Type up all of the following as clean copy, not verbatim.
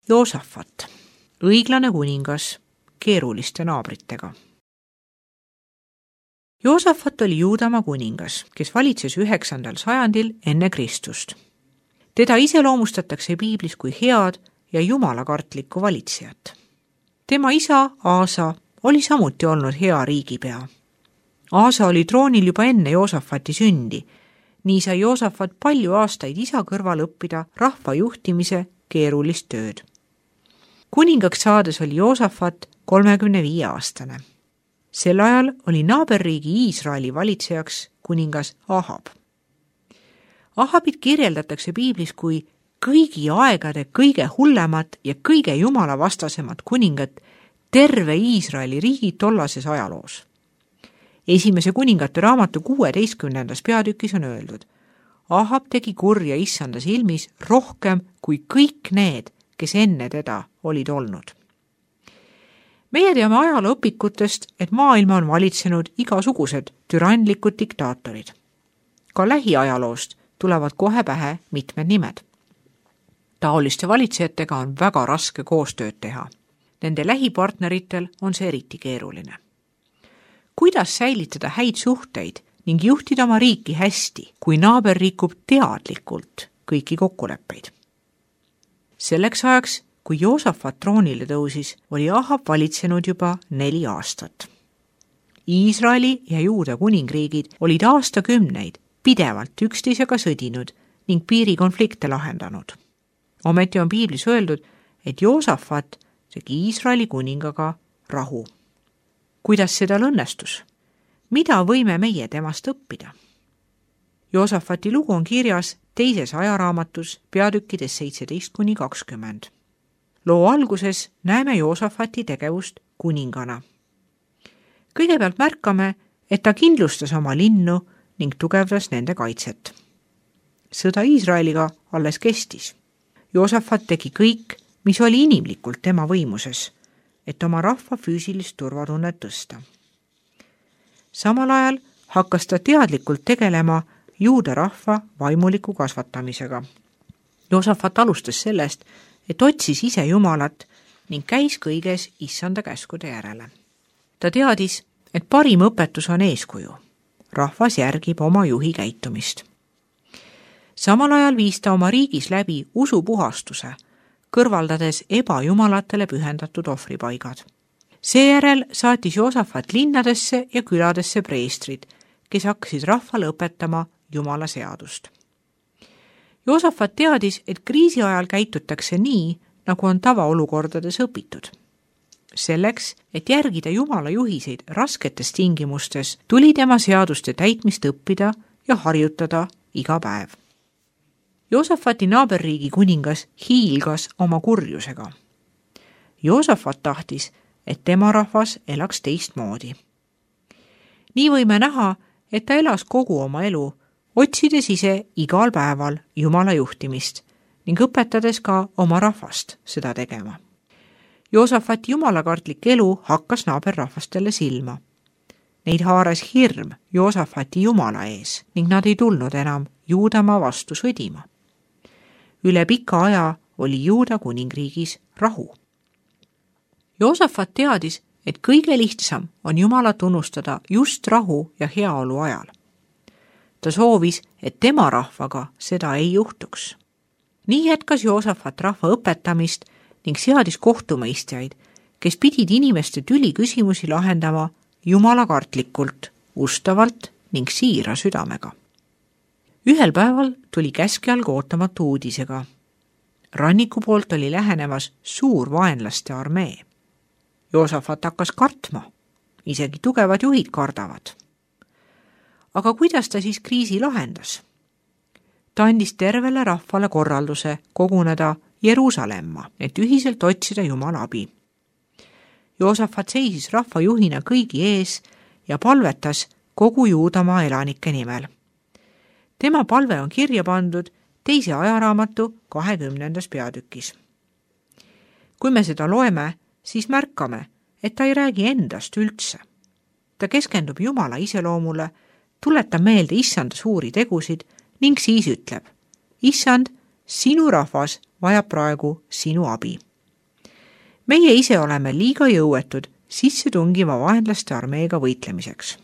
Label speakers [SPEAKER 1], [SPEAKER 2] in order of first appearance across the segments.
[SPEAKER 1] Joosafat, õiglane kuningas keeruliste naabritega. Joosafat oli Juudamaa kuningas, kes valitses 9. sajandil enne Kristust. Teda iseloomustatakse piiblis kui head ja jumalakartlikku valitsejat. Tema isa Aasa oli samuti olnud hea riigipea. Aasa oli troonil juba enne Joosafati sündi, nii sai Joosafat palju aastaid isa kõrval õppida rahva juhtimise keerulist tööd. Kuningaks saades oli Joosafat 35-aastane. Sel ajal oli naaberriigi Iisraeli valitsejaks kuningas Ahab. Ahabit kirjeldatakse piiblis kui kõigi aegade kõige hullemat ja kõige jumalavastasemat kuningat terve Iisraeli riigi tollases ajaloos. Esimese kuningate raamatu 16. peatükis on öeldud: Ahab tegi kurja issanda silmis rohkem kui kõik need, kes enne teda olid olnud. Meie teame ajalooõpikutest, et maailma on valitsenud igasugused türanlikud diktaatorid. Ka lähiajaloost tulevad kohe pähe mitmed nimed. Taoliste valitsejatega on väga raske koostööd teha. Nende lähipartneritel on see eriti keeruline. Kuidas säilitada häid suhteid ning juhtida oma riiki hästi, kui naaber rikub teadlikult kõiki kokkuleppeid? Selleks ajaks, kui Joosafat troonile tõusis, oli Ahab valitsenud juba 4 aastat. Iisraeli ja Juuda kuningriigid olid aastakümneid pidevalt üksteisega sõdinud ning piirikonflikte lahendanud. Ometi on piiblis öeldud, et Joosafat tegi Iisraeli kuningaga rahu. Kuidas seda õnnestus? Mida võime meie temast õppida? Joosafati lugu on kirjas 2. ajaraamatus peatükkides 17-20. Loo alguses näeme Joosafati tegevust kuningana. Kõigepealt märkame, et ta kindlustas oma linnu ning tugevdas nende kaitset. Sõda Iisraeliga alles kestis. Joosafat tegi kõik, mis oli inimlikult tema võimuses, et oma rahva füüsilist turvatunnet tõsta. Samal ajal hakkas ta teadlikult tegelema Juuda rahva vaimuliku kasvatamisega. Joosafat alustas sellest, et otsis ise Jumalat ning käis kõiges issanda käskude järele. Ta teadis, et parim õpetus on eeskuju. Rahvas järgib oma juhi käitumist. Samal ajal viis ta oma riigis läbi usupuhastuse, kõrvaldades ebajumalatele pühendatud ohvripaigad. Seejärel saatis Joosafat linnadesse ja küladesse preestrid, kes hakkasid rahvale õpetama Jumala seadust. Joosafat teadis, et kriisi ajal käitutakse nii, nagu on tavaolukordades õpitud. Selleks, et järgida Jumala juhiseid rasketes tingimustes, tuli tema seaduste täitmist õppida ja harjutada iga päev. Joosafati naaberriigi kuningas hiilgas oma kurjusega. Joosafat tahtis, et tema rahvas elaks teistmoodi. Nii võime näha, et ta elas kogu oma elu, otsides ise igal päeval Jumala juhtimist ning õpetades ka oma rahvast seda tegema. Joosafati jumalakartlik elu hakkas naaberrahvastele silma. Neid haaras hirm Joosafati Jumala ees ning nad ei tulnud enam Juudamaa vastu sõdima. Üle pika aja oli Juuda kuningriigis rahu. Joosafat teadis, et kõige lihtsam on Jumala tunnustada just rahu ja heaolu ajal. Ta soovis, et tema rahvaga seda ei juhtuks. Nii jätkas Joosafat rahva õpetamist ning seadis kohtumõistjaid, kes pidid inimeste tüliküsimusi lahendama jumalakartlikult, ustavalt ning siira südamega. Ühel päeval tuli käskjalg ootamatu uudisega. Ranniku poolt oli lähenemas suur vaenlaste armee. Joosafat hakkas kartma, isegi tugevad juhid kardavad. Aga kuidas ta siis kriisi lahendas? Ta andis tervele rahvale korralduse koguneda Jeruusalemma, et ühiselt otsida Jumala abi. Joosafat seisis rahvajuhina kõigi ees ja palvetas kogu Juudamaa elanike nimel. Tema palve on kirja pandud 2. ajaraamatu 20. peatükis. Kui me seda loeme, siis märkame, et ta ei räägi endast üldse. Ta keskendub Jumala iseloomule, tuletab meelde issanda suuri tegusid ning siis ütleb: Issand, sinu rahvas vajab praegu sinu abi. meie ise oleme liiga jõuetud sisse tungiva vaenlaste armeega võitlemiseks.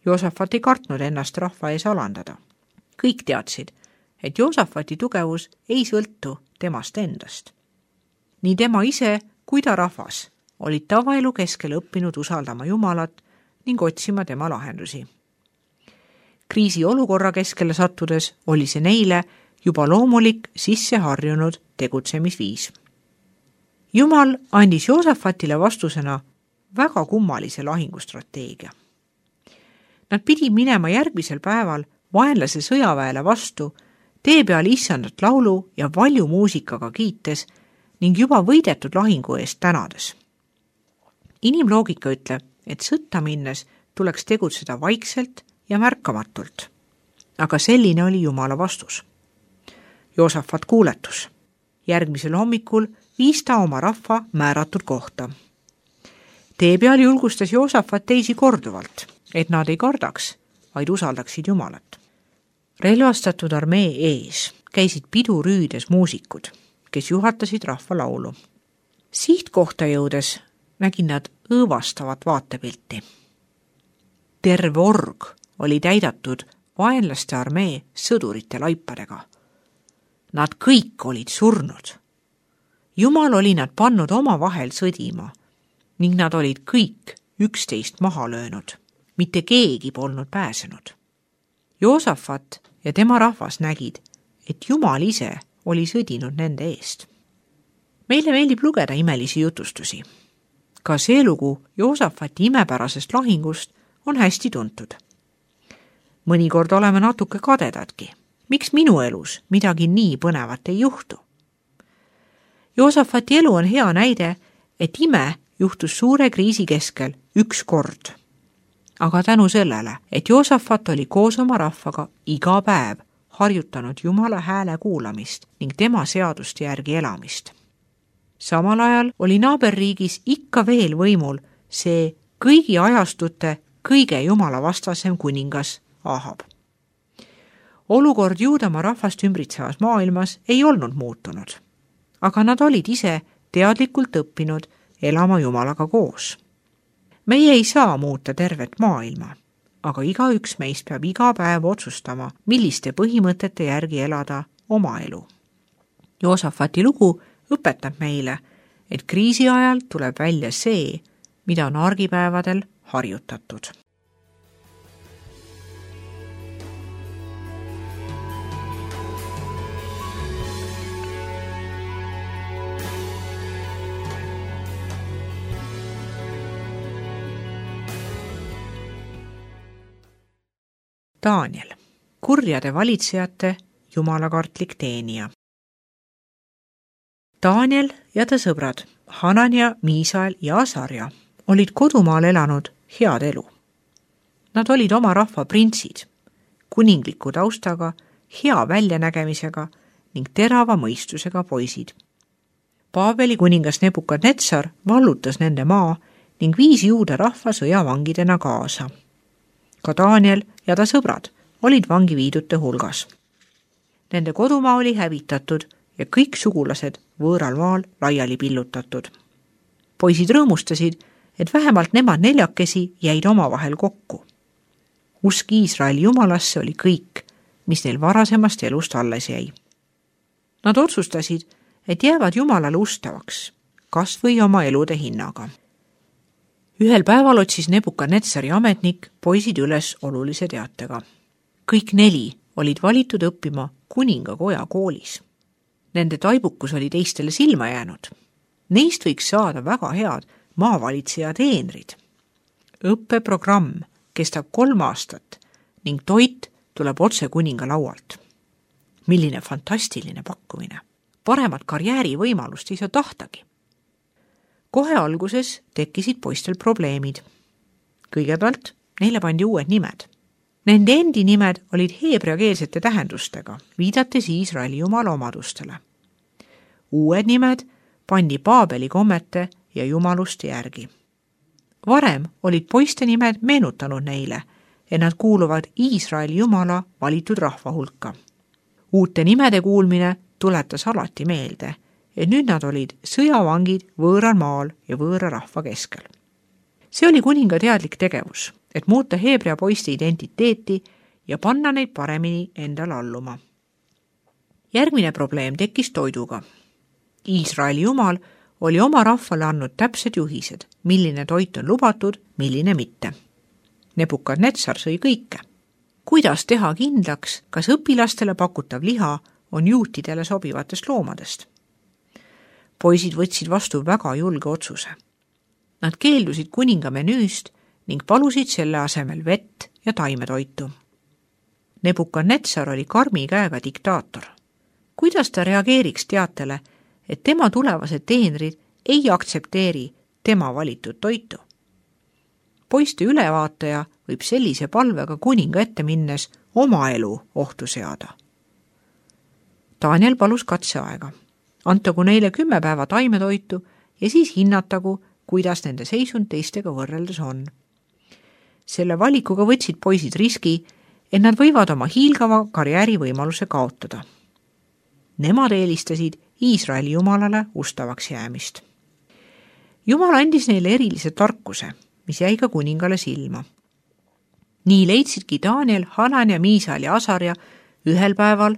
[SPEAKER 1] Joosafat ei kartnud ennast rahva ees alandada. Kõik teadsid, et Joosafati tugevus ei sõltu temast endast. Nii tema ise kui ta rahvas olid tavaelu keskel õppinud usaldama Jumalat ning otsima tema lahendusi. Kriisi olukorra keskele sattudes oli see neile juba loomulik sisseharjunud tegutsemisviis. Jumal andis Joosafatile vastusena väga kummalise lahingustrateegia. Nad pidid minema järgmisel päeval vaenlase sõjaväele vastu, tee peal issandat laulu ja valju muusikaga kiites ning juba võidetud lahingu eest tänades. Inimloogika ütleb, et sõtta minnes tuleks tegutseda vaikselt ja märkamatult. Aga selline oli Jumala vastus. Joosafat kuuletus. Järgmisel hommikul viis ta oma rahva määratud kohta. Tee peal julgustas Joosafat teisi korduvalt, et nad ei kardaks, vaid usaldaksid Jumalat. Relvastatud armee ees käisid pidurüüdes muusikud, kes juhatasid rahva laulu. Sihtkohta jõudes nägid nad õõvastavat vaatepilti. Terve org oli täidatud vaenlaste armee sõdurite laipadega. Nad kõik olid surnud. Jumal oli nad pannud omavahel sõdima ning nad olid kõik üksteist maha löönud. Mitte keegi polnud pääsenud. Joosafat ja tema rahvas nägid, et Jumal ise oli sõdinud nende eest. Meile meeldib lugeda imelisi jutustusi. Ka see lugu Joosafati imepärasest lahingust on hästi tuntud. Mõnikord oleme natuke kadedadki. Miks minu elus midagi nii põnevat ei juhtu? Joosafati elu on hea näide, et ime juhtus suure kriisi keskel üks kord. Aga tänu sellele, et Joosafat oli koos oma rahvaga iga päev harjutanud Jumala hääle kuulamist ning tema seaduste järgi elamist. Samal ajal oli naaberriigis ikka veel võimul see kõigi ajastute kõige Jumala vastasem kuningas Ahab. Olukord Juudamaa rahvast ümbritsevas maailmas ei olnud muutunud, aga nad olid ise teadlikult õppinud elama Jumalaga koos. Meie ei saa muuta tervet maailma, aga igaüks meist peab iga päev otsustama, milliste põhimõtete järgi elada oma elu. Joosafati lugu õpetab meile, et kriisi ajal tuleb välja see, mida on argipäevadel harjutatud. Daniel, kurjade valitsejate jumalakartlik teenija. Daniel ja ta sõbrad, Hanania, Miisael ja Asarja, olid kodumaal elanud head elu. Nad olid oma rahva printsid, kuningliku taustaga, hea väljanägemisega ning terava mõistusega poisid. Paabeli kuningas Nebukadnetsar vallutas nende maa ning viis Juuda rahva sõjavangidena kaasa. Ka Daniel ja ta sõbrad olid vangiviidute hulgas. Nende kodumaa oli hävitatud ja kõik sugulased võõral maal laiali pillutatud. Poisid rõõmustasid, et vähemalt nemad neljakesi jäid omavahel kokku. Usk Iisraeli Jumalasse oli kõik, mis neil varasemast elust alles jäi. Nad otsustasid, et jäävad Jumalale ustavaks, kas või oma elude hinnaga. Ühel päeval otsis Nebukadnetsari ametnik poisid üles olulise teatega. Kõik 4 olid valitud õppima kuningakoja koolis. Nende taibukus oli teistele silma jäänud. Neist võiks saada väga head maavalitseja teenrid. Õppeprogramm kestab 3 aastat ning toit tuleb otse kuninga laualt. Milline fantastiline pakkumine. Paremat karjäärivõimalust ei saa tahtagi. Kohe alguses tekkisid poistel probleemid. Kõigepealt neile pandi uued nimed. Nende endi nimed olid heebreakeelsete tähendustega, viidates Iisraeli Jumala omadustele. Uued nimed pandi Paabeli kommete ja jumaluste järgi. Varem olid poiste nimed meenutanud neile, et nad kuuluvad Iisraeli Jumala valitud rahva hulka. Uute nimede kuulmine tuletas alati meelde, et nüüd nad olid sõjavangid võõral maal ja võõra rahva keskel. See oli kuninga teadlik tegevus, et muuta Heebrea poiste identiteeti ja panna neid paremini endale alluma. Järgmine probleem tekkis toiduga. Iisraeli jumal oli oma rahvale andnud täpsed juhised, milline toit on lubatud, milline mitte. Nebukadnetsar sõi kõike. Kuidas teha kindlaks, kas õpilastele pakutav liha on juutidele sobivatest loomadest? Poisid võtsid vastu väga julge otsuse. Nad keeldusid kuninga menüüst ning palusid selle asemel vett ja taimetoitu. Nebukadnetsar oli karmi käega diktaator. Kuidas ta reageeriks teatele, et tema tulevased teenrid ei aktsepteeri tema valitud toitu? Poiste ülevaataja võib sellise palvega kuninga ette minnes oma elu ohtu seada. Daniel palus katseaega. Antagu neile 10 päeva taimetoitu ja siis hinnatagu, kuidas nende seisund teistega võrreldes on. Selle valikuga võtsid poisid riski, et nad võivad oma hiilgava karjäärivõimaluse kaotada. Nemad eelistasid Iisraeli jumalale ustavaks jäämist. Jumal andis neile erilise tarkuse, mis jäi ka kuningale silma. Nii leidsidki Daniel, Hanania, Miisael ja Asarja ühel päeval,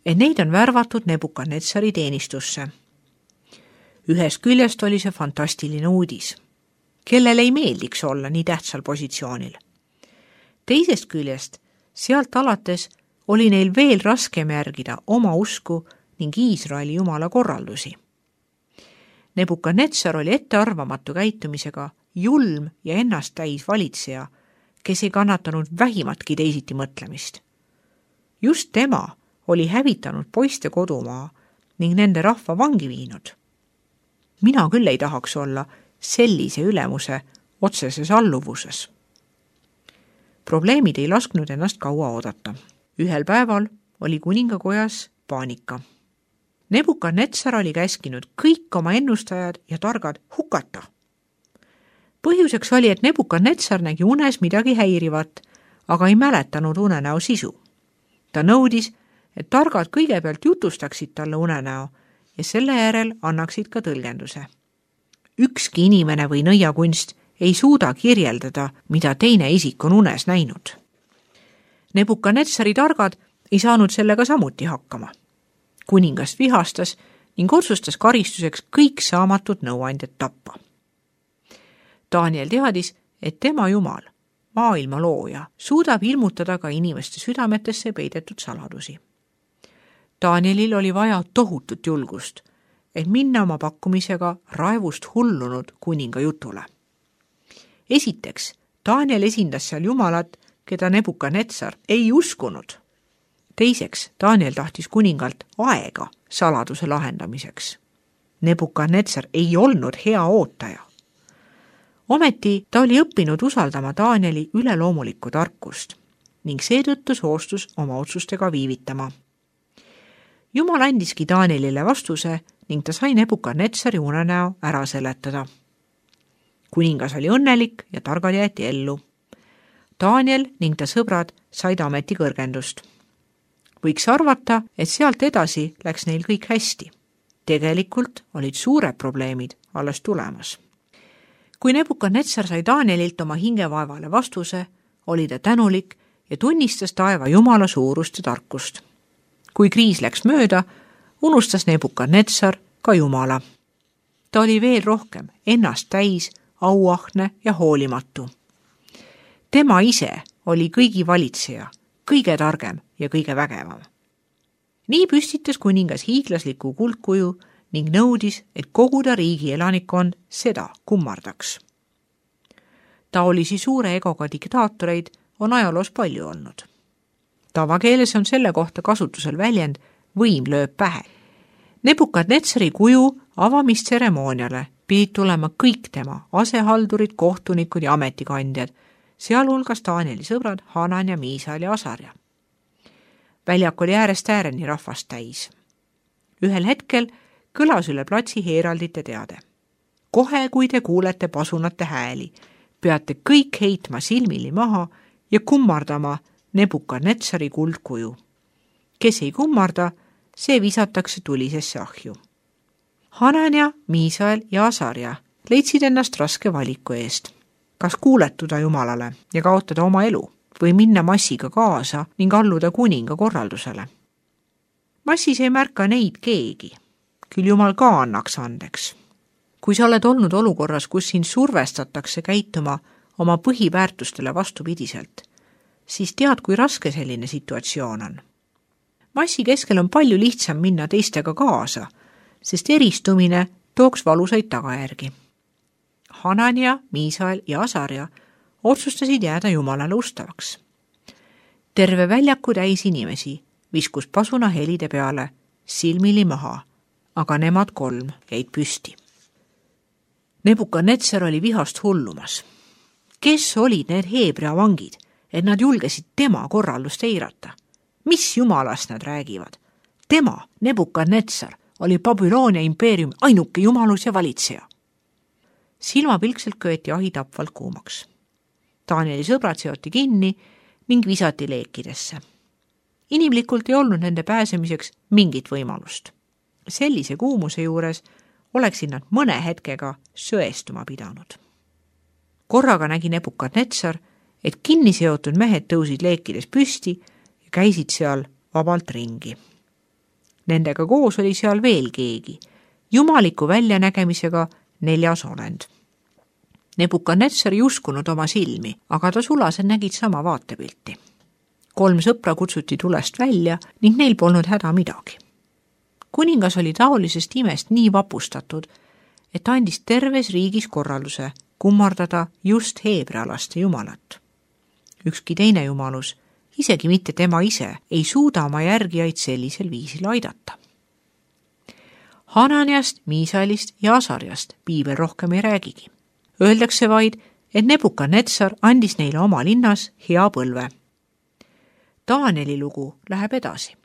[SPEAKER 1] et neid on värvatud Nebukadnetsari teenistusse. Ühest küljest oli see fantastiline uudis. Kellel ei meeldiks olla nii tähtsal positsioonil? Teisest küljest, sealt alates oli neil veel raskem järgida oma usku ning Iisraeli jumala korraldusi. Nebukadnetsar oli ettearvamatu käitumisega julm ja ennast täis valitseja, kes ei kannatanud vähimatki teisiti mõtlemist. Just tema oli hävitanud poiste kodumaa ning nende rahva vangi viinud. Mina küll ei tahaks olla sellise ülemuse otseses alluvuses. Probleemid ei lasknud ennast kaua oodata. Ühel päeval oli kuningakojas paanika. Nebukadnetsar oli käskinud kõik oma ennustajad ja targad hukata. Põhjuseks oli, et Nebukadnetsar nägi unes midagi häirivat, aga ei mäletanud unenäo sisu. Ta nõudis, et targad kõigepealt jutustaksid talle unenäo ja selle järel annaksid ka tõlgenduse. Ükski inimene või nõiakunst ei suuda kirjeldada, mida teine isik on unes näinud. Nebukadnetsari targad ei saanud sellega samuti hakkama. Kuningast vihastas ning otsustas karistuseks kõik saamatud nõuandjad tappa. Daniel teadis, et tema jumal, maailma looja, suudab ilmutada ka inimeste südametesse peidetud saladusi. Danielil oli vaja tohutut julgust, et minna oma pakkumisega raevust hullunud kuninga jutule. Esiteks, Daniel esindas seal jumalat, keda Nebukadnetsar ei uskunud. Teiseks, Daniel tahtis kuningalt aega saladuse lahendamiseks. Nebukadnetsar ei olnud hea ootaja. Ometi ta oli õppinud usaldama Danieli üleloomulikku tarkust ning seetõttu soostus oma otsustega viivitama. Jumal andiski Danielile vastuse ning ta sai Nebukadnetsari unenäo ära seletada. Kuningas oli õnnelik ja targad jäeti ellu. Daniel ning ta sõbrad said ametikõrgendust. Võiks arvata, et sealt edasi läks neil kõik hästi. Tegelikult olid suured probleemid alles tulemas. Kui Nebukadnetsar sai Danielilt oma hingevaevale vastuse, oli ta tänulik ja tunnistas taeva jumala suurust ja tarkust. Kui kriis läks mööda, unustas Nebukadnetsar ka jumala. Ta oli veel rohkem ennast täis, auahne ja hoolimatu. Tema ise oli kõigi valitseja, kõige targem ja kõige vägevam. Nii püstitas kuningas hiiglasliku kuldkuju ning nõudis, et kogu ta riigi elanikkond seda kummardaks. Taolisi suure egoga diktaatoreid on ajaloos palju olnud. Tavakeeles on selle kohta kasutusel väljend võim lööb pähe. Nebukadnetsari kuju avamistseremooniale pidid tulema kõik tema asehaldurid, kohtunikud ja ametikandjad, sealhulgas Danieli sõbrad Hanania, Miisael ja Asarja. Väljak oli äärest ääreni rahvast täis. Ühel hetkel kõlas üle platsi heeraldite teade. Kohe, kui te kuulete pasunate hääli, peate kõik heitma silmili maha ja kummardama Nebukadnetsari kuldkuju. Kes ei kummarda, see visatakse tulisesse ahju. Hanania, Miisael ja Asarja leidsid ennast raske valiku eest. Kas kuuletuda Jumalale ja kaotada oma elu või minna massiga kaasa ning alluda kuninga korraldusele? Massis ei märka neid keegi, küll Jumal ka annaks andeks. Kui sa oled olnud olukorras, kus sind survestatakse käituma oma põhiväärtustele vastupidiselt, siis tead, kui raske selline situatsioon on. Massi keskel on palju lihtsam minna teistega kaasa, sest eristumine tooks valusaid tagajärgi. Hanania, Miisael ja Asarja otsustasid jääda Jumalale ustavaks. Terve väljaku täis inimesi viskus pasuna helide peale silmili maha, aga nemad 3 jäid püsti. Nebukadnetsar oli vihast hullumas. Kes olid need Heebrea vangid, et nad julgesid tema korraldust eirata? Mis jumalast nad räägivad? Tema, Nebukadnetsar, oli Babyloonia impeeriumi ainuke jumalus ja valitseja. Silmapilkselt köeti ahi tapvalt kuumaks. Danieli sõbrad seoti kinni ning visati leekidesse. Inimlikult ei olnud nende pääsemiseks mingit võimalust. Sellise kuumuse juures oleksid nad mõne hetkega söestuma pidanud. Korraga nägi Nebukadnetsar, et kinni seotud mehed tõusid leekides püsti ja käisid seal vabalt ringi. Nendega koos oli seal veel keegi, jumaliku väljanägemisega 4. olend. Nebukadnetsar ei uskunud oma silmi, aga ta sulased nägid sama vaatepilti. 3 sõpra kutsuti tulest välja ning neil polnud häda midagi. Kuningas oli taolisest imest nii vapustatud, et ta andis terves riigis korralduse kummardada just heebrealaste jumalat. Ükski teine jumalus, isegi mitte tema ise, ei suuda oma järgijaid sellisel viisil aidata. Hananiast, Miisaelist ja Asarjast piibel rohkem ei räägigi. Öeldakse vaid, et Nebukadnetsar andis neile oma linnas hea põlve. Danieli lugu läheb edasi.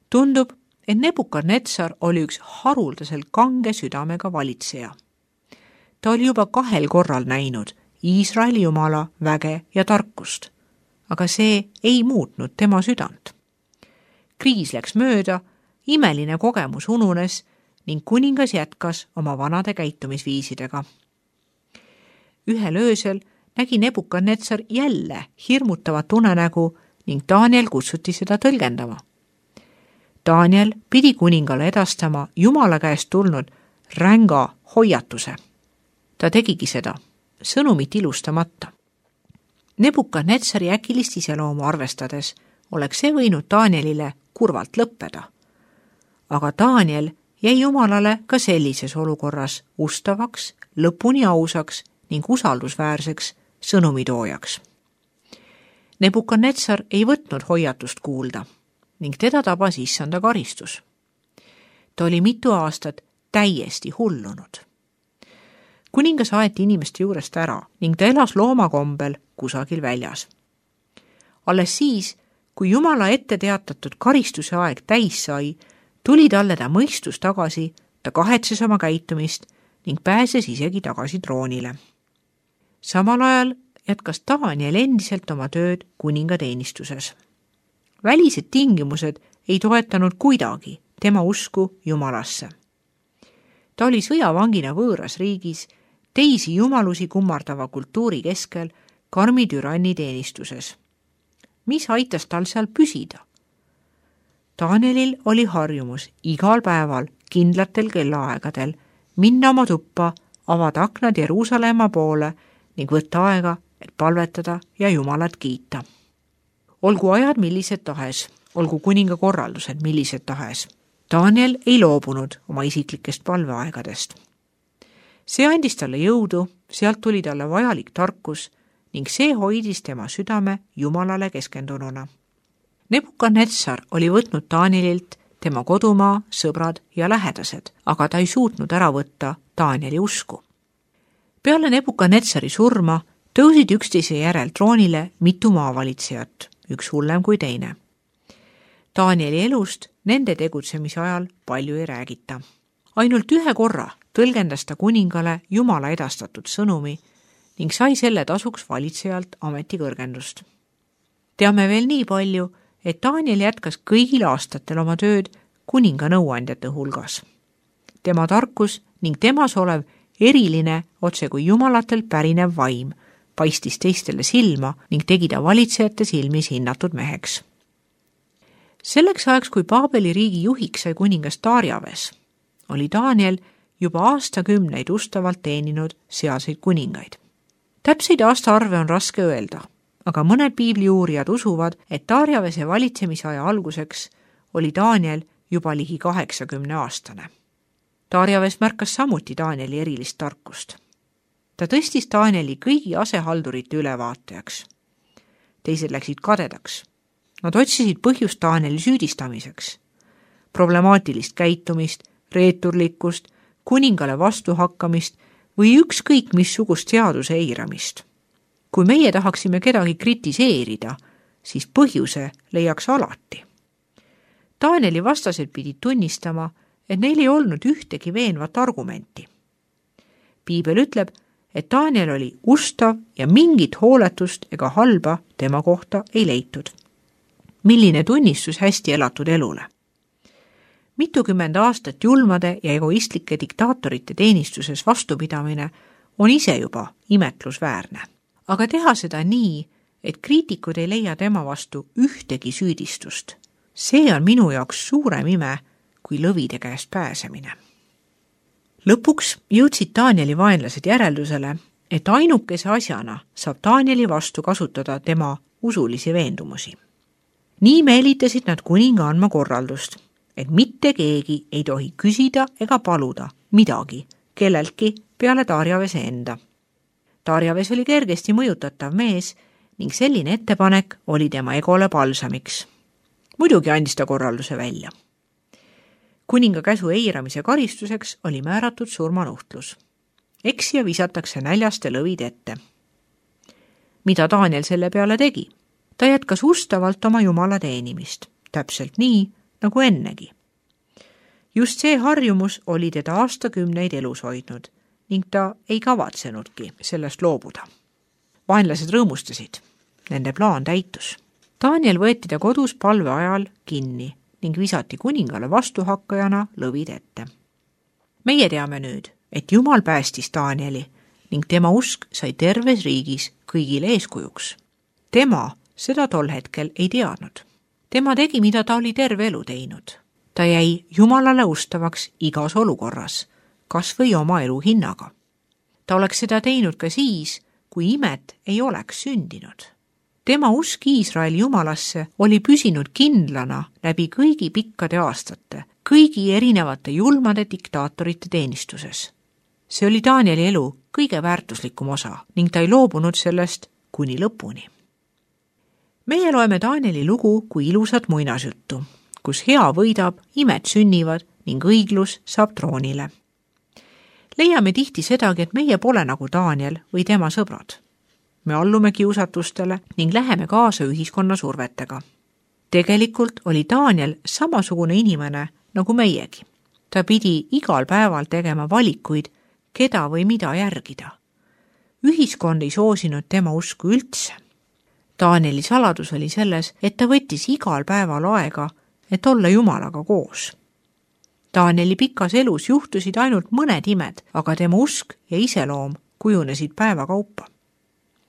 [SPEAKER 1] Tundub, et Nebukadnetsar oli üks haruldaselt kange südamega valitseja. Ta oli juba 2 korral näinud Iisraeli jumala väge ja tarkust, aga see ei muutnud tema südant. Kriis läks mööda, imeline kogemus ununes ning kuningas jätkas oma vanade käitumisviisidega. Ühel öösel nägi Nebukadnetsar jälle hirmutavat unenägu ning Daniel kutsuti seda tõlgendama. Daniel pidi kuningale edastama Jumala käest tulnud ränga hoiatuse. Ta tegigi seda, sõnumit ilustamata. Nebukadnetsari äkilist iseloomu arvestades oleks see võinud Danielile kurvalt lõppeda. Aga Daniel jäi Jumalale ka sellises olukorras ustavaks, lõpuni ausaks ning usaldusväärseks sõnumitoojaks. Nebukadnetsar ei võtnud hoiatust kuulda ning teda tabas issanda karistus. Ta oli mitu aastat täiesti hullunud. Kuningas aeti inimeste juurest ära ning ta elas loomakombel kusagil väljas. Alles siis, kui Jumala ette teatatud karistuse aeg täis sai, tuli talle ta mõistus tagasi, ta kahetses oma käitumist ning pääses isegi tagasi troonile. Samal ajal jätkas Daniel endiselt oma tööd kuninga teenistuses. Välised tingimused ei toetanud kuidagi tema usku Jumalasse. Ta oli sõjavangina võõras riigis, teisi jumalusi kummardava kultuuri keskel karmi türanni teenistuses. Mis aitas tal seal püsida? Danielil oli harjumus igal päeval kindlatel kellaaegadel minna oma tuppa, avada aknad Jeruusalemma poole ning võtta aega, et palvetada ja Jumalat kiita. Olgu ajad millised tahes, olgu kuninga korraldused millised tahes. Daniel ei loobunud oma isiklikest palveaegadest. See andis talle jõudu, sealt tuli talle vajalik tarkus ning see hoidis tema südame Jumalale keskendununa. Nebukadnetsar oli võtnud Danielilt tema kodumaa, sõbrad ja lähedased, aga ta ei suutnud ära võtta Danieli usku. Peale Nebukadnetsari surma tõusid üksteise järel troonile mitu maavalitsejat, üks hullem kui teine. Danieli elust nende tegutsemise ajal palju ei räägita. Ainult 1 korra tõlgendas ta kuningale Jumala edastatud sõnumi ning sai selle tasuks valitsejalt ametikõrgendust. Teame veel nii palju, et Daniel jätkas kõigil aastatel oma tööd kuninga nõuandjate hulgas. tema tarkus ning temas olev eriline, otse kui jumalatelt pärinev vaim paistis teistele silma ning tegi ta valitsejate silmis hinnatud meheks. Selleks ajaks, kui Paabeli riigi juhiks sai kuningas Darjaves, oli Daniel juba aastakümneid ustavalt teeninud sealseid kuningaid. Täpseid aastaarve on raske öelda, aga mõned piibliuurijad usuvad, et Darjavese valitsemisaja alguseks oli Daniel juba ligi 80-aastane. Darjaves märkas samuti Danieli erilist tarkust. Ta tõstis Danieli kõigi asehaldurite ülevaatajaks. Teised läksid kadedaks. Nad otsisid põhjust Danieli süüdistamiseks. Problemaatilist käitumist, reeturlikkust, kuningale vastuhakkamist või ükskõik missugust seaduse eiramist. Kui meie tahaksime kedagi kritiseerida, siis põhjuse leiaks alati. Danieli vastased pidid tunnistama, et neil ei olnud ühtegi veenvat argumenti. Piibel ütleb, et Daniel oli ustav ja mingit hooletust ega halba tema kohta ei leitud. Milline tunnistus hästi elatud elule? Mitukümmend aastat julmade ja egoistlike diktaatorite teenistuses vastupidamine on ise juba imetlusväärne. Aga teha seda nii, et kriitikud ei leia tema vastu ühtegi süüdistust. See on minu jaoks suurem ime kui lõvide käest pääsemine. Lõpuks jõudsid Danieli vaenlased järeldusele, et ainukese asjana saab Danieli vastu kasutada tema usulisi veendumusi. Nii meelitasid nad kuninga andma korraldust, et mitte keegi ei tohi küsida ega paluda midagi kelleltki peale Darjavese enda. Darjaves oli kergesti mõjutatav mees ning selline ettepanek oli tema egole palsamiks. Muidugi andis ta korralduse välja. Kuninga käsu eiramise karistuseks oli määratud surmanuhtlus. Eksija visatakse näljast ja lõvid ette. Mida Daniel selle peale tegi? Ta jätkas ustavalt oma jumala teenimist, täpselt nii, nagu ennegi. Just see harjumus oli teda aastakümneid elus hoidnud ning ta ei kavatsenudki sellest loobuda. Vaenlased rõõmustasid. Nende plaan täitus. Daniel võeti ta kodus palve ajal kinni ning visati kuningale vastuhakkajana lõvid ette. Meie teame nüüd, et Jumal päästis Danieli ning tema usk sai terves riigis kõigile eeskujuks. Tema seda tol hetkel ei teadnud. Tema tegi, mida ta oli terve elu teinud. Ta jäi Jumalale ustavaks igas olukorras, kas või oma elu hinnaga. Ta oleks seda teinud ka siis, kui imet ei oleks sündinud. Tema usk Iisraeli Jumalasse oli püsinud kindlana läbi kõigi pikkade aastate, kõigi erinevate julmade diktaatorite teenistuses. See oli Danieli elu kõige väärtuslikum osa ning ta ei loobunud sellest kuni lõpuni. Meie loeme Danieli lugu kui ilusat muinasjuttu, kus hea võidab, imed sünnivad ning õiglus saab troonile. Leiame tihti sedagi, et meie pole nagu Daniel või tema sõbrad. Me allume kiusatustele ning läheme kaasa ühiskonna survetega. Tegelikult oli Daniel samasugune inimene nagu meiegi. Ta pidi igal päeval tegema valikuid, keda või mida järgida. Ühiskond ei soosinud tema usku üldse. Danieli saladus oli selles, et ta võttis igal päeval aega, et olla Jumalaga koos. Danieli pikas elus juhtusid ainult mõned imed, aga tema usk ja iseloom kujunesid päevakaupa.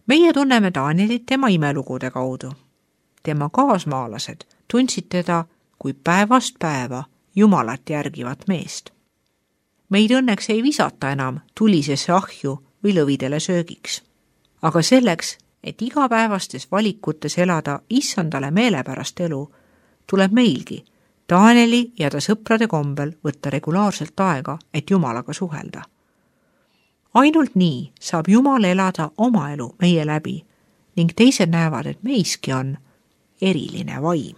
[SPEAKER 1] Meie tunneme Danielit tema imelugude kaudu. Tema kaasmaalased tundsid teda kui päevast päeva Jumalat järgivat meest. Meid õnneks ei visata enam tulisesse ahju või lõvidele söögiks. Aga selleks, et igapäevastes valikutes elada issandale meelepärast elu, tuleb meilgi Danieli ja ta sõprade kombel võtta regulaarselt aega, et Jumalaga suhelda. Ainult nii saab Jumal elada oma elu meie läbi ning teised näevad, et meiski on eriline vaim.